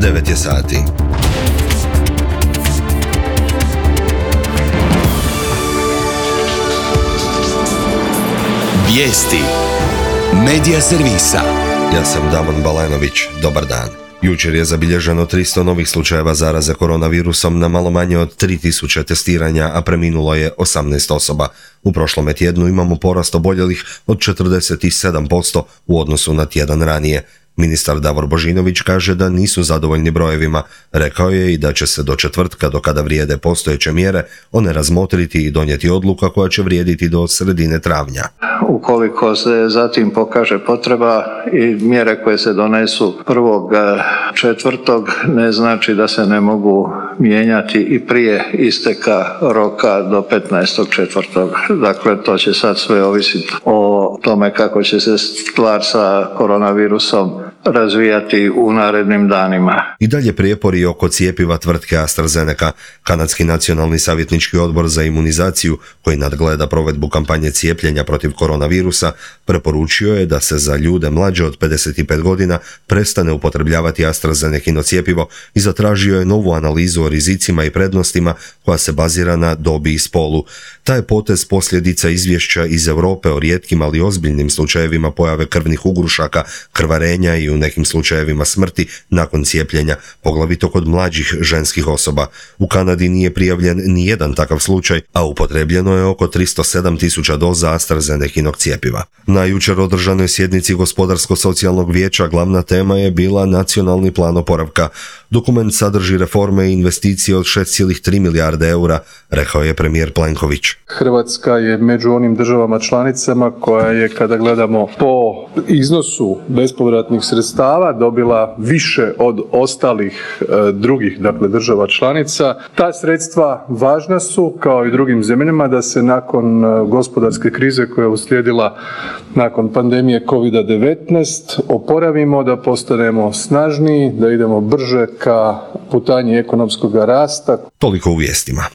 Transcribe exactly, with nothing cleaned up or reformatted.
devet je sati. Vijesti Medija servisa. Ja sam Damon Balenović, dobar dan. Jučer je zabilježeno tristo novih slučajeva zaraze koronavirusom na malo manje od tri tisuće testiranja, a preminulo je osamnaest osoba. U prošlome tjednu imamo porast oboljelih od četrdeset sedam posto u odnosu na tjedan ranije. Ministar Davor Božinović kaže da nisu zadovoljni brojevima. Rekao je i da će se do četvrtka, do kada vrijede postojeće mjere, one razmotriti i donijeti odluka koja će vrijediti do sredine travnja. Ukoliko se zatim pokaže potreba i mjere koje se donesu prvog četvrtog, ne znači da se ne mogu mijenjati i prije isteka roka do petnaestog četvrtog. Dakle, to će sad sve ovisiti o tome kako će se stvar sa koronavirusom razvijati u narednim danima. I dalje prijepori oko cjepiva tvrtke AstraZeneca. Kanadski nacionalni savjetnički odbor za imunizaciju, koji nadgleda provedbu kampanje cijepljenja protiv koronavirusa, preporučio je da se za ljude mlađe od pedeset pet godina prestane upotrebljavati AstraZenecino cjepivo i zatražio je novu analizu o rizicima i prednostima koja se bazira na dobi i spolu. Taj je potez posljedica izvješća iz Europe o rijetkim ali ozbiljnim slučajevima pojave krvnih ugrušaka, krvarenja i u nekim slučajevima smrti nakon cijepljenja, poglavito kod mlađih ženskih osoba. U Kanadi nije prijavljen ni jedan takav slučaj, a upotrebljeno je oko tristo sedam tisuća doza AstraZenecinog cjepiva. Na jučer održanoj sjednici Gospodarsko-socijalnog vijeća glavna tema je bila nacionalni plan oporavka. Dokument sadrži reforme i investicije od šest zarez tri milijarde eura, rekao je premijer Plenković. Hrvatska je među onim državama članicama koja je, kada gledamo po iznosu bespovratnih sredstava, dobila više od ostalih e, drugih, dakle, država članica. Ta sredstva važna su, kao i drugim zemljama, da se nakon e, gospodarske krize koja je uslijedila nakon pandemije kovid devetnaest oporavimo, da postanemo snažniji, da idemo brže ka putanji ekonomskog rasta. Toliko u vijestima.